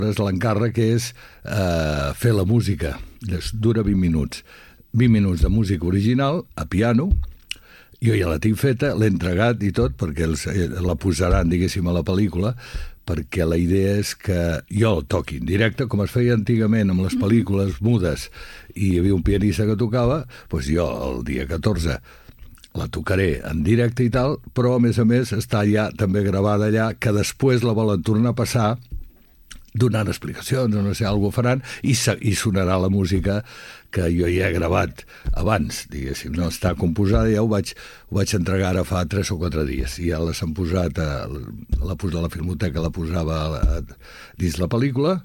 L'encàrrec és fer la música. Dura 20 minuts. 20 minuts de música original, a piano. Jo ja la tinc feta, l'he entregat i tot, perquè la posaran, diguéssim, a la pel·lícula, perquè la idea és que jo el toqui en directe, com es feia antigament amb les pel·lícules mudes, i hi havia un pianista que tocava, doncs jo el dia 14 la tocaré en directe i tal, però a més està ja també gravada allà, que després la volen tornar a passar donant explicacions o no sé, alguna faran, i sonarà la música que jo ja he gravat abans, diguéssim, no està composada, ja ho vaig entregar ara fa 3 o 4 dies, i ja les han posat, la Filmoteca la posava dins la pel·lícula,